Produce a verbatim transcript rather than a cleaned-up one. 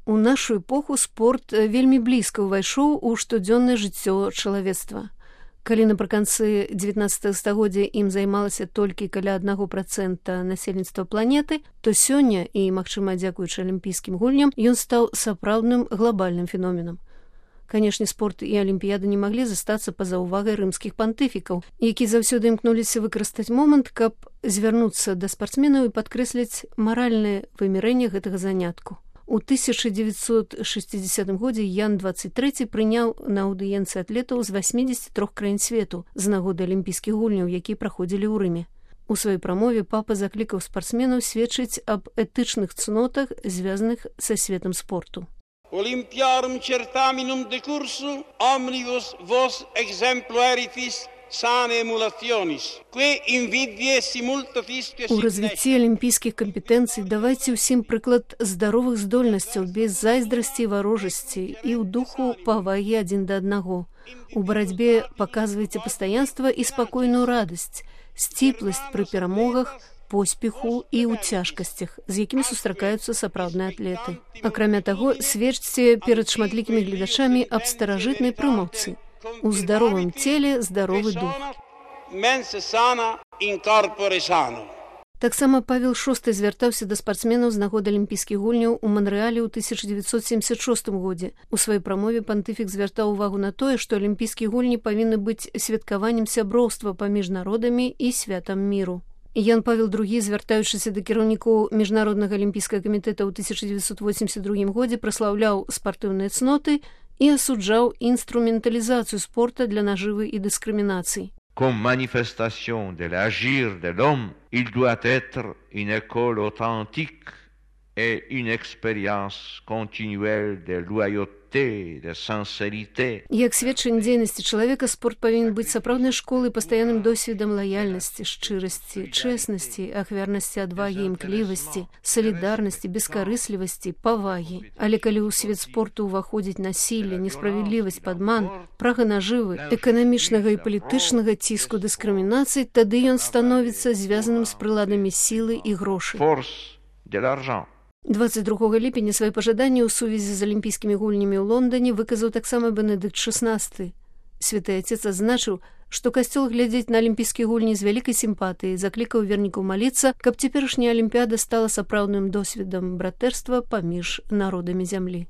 У нашу эпоху спорт вельмі блізка ўвайшоў у штодзённае жыццё чалавецтва. Калі напрыканцы дзевятнаццатага стагоддзя ім займалася толькі каля аднаго працэнта насельніцтва планеты, то сёння, і, магчыма, дзякуючы алімпійскім гульням, ён стаў сапраўдным глобальным феноменам. Канешне, спорт і алімпіяда не маглі застацца па-за ўвагай рымскіх пантыфікаў, які заўсёды імкнуліся выкарыстаць момант, каб звярнуцца да спартсменаў і падкрэсліць маральнае вымярэнне гэтага занятку. У тысяча дзевяцьсот шэсцідзесятым годзе Ян дваццаць трэці прыняў на аўдыенцыі атлетаў з васьмідзесяці трох краін свету з нагоды алімпійскіх гульняў, якія праходзілі ў Рыме. У сваёй прамове папа заклікаў спартсменаў сведчыць аб этычных цнотах, звязаных са светам спорту. Олимпиаrum certaminum decursu omnibus vos exemplo eritis sane emulationis, que invidie simultatisque У развіцці алімпійскіх кампетэнцый давайце ўсім прыклад здаровых здольнасцяў без зайздрасці і варожасці і ў духу павагі адзін да аднаго. У барацьбе паказвайце пастаянства і спакойную радасць, сціпласць пры перамогах, поспеху і ў цяжкасцях, з якімі сустракаюцца сапраўдныя атлеты. Акрамя таго, сведчце перад шматлікімі гледачамі аб старажытнай прымаўцы. У здаровым целе здаровы дух. Таксама Павел шосты звяртаўся да спартсменаў з нагоды алімпійскіх гульняў у Манрэале ў тысяча дзевяцьсот семьдесят шостым годзе. У сваёй прамове пантыфік звяртаў увагу на тое, што алімпійскія гульні павінны быць святкаваннем сяброўства паміж народамі і святам міру. Ян Павел другі, звяртаючыся да кіраўнікоў міжнароднага алімпійскага камітэта ў тысяча дзевяцьсот восемьдесят другім годзе, праслаўляў спартыўныя цноты і асуджаў інструменталізацыю спорта для нажывы і дыскрымінацый. Comme manifestation de l'agir de l'homme, il doit être une école authentique et une expérience continuelle de loyauté, de sincérité. Як сведчанне дзейнасці чалавека, спорт павінен быць сапраўднай школай, пастаянным досведам лаяльнасці, шчырасці, чэснасці, ахвярнасці, адвагі, імклівасці, салідарнасці, бескарыслівасці, павагі. Але калі ў свет спорту ўваходзіць насілле, несправядлівасць, падман, прага нажывы, эканамічнага і палітычнага ціску, дыскрымінацыі, тады ён становіцца звязаным з прыладамі сілы і грошай. Force de l'argent. дваццаць другога ліпеня свае пажаданні ў сувязі з алімпійскімі гульнямі ў Лондане выказаў таксама Бенедыкт шаснасты. Святы Отец адзначыў, што касцёл глядзець на алімпійскія гульні з вялікай сімпатыяй, заклікаў вернікаў маліцца, каб цяперашняя алімпіяда стала сапраўдным досведам братэрства паміж народамі зямлі.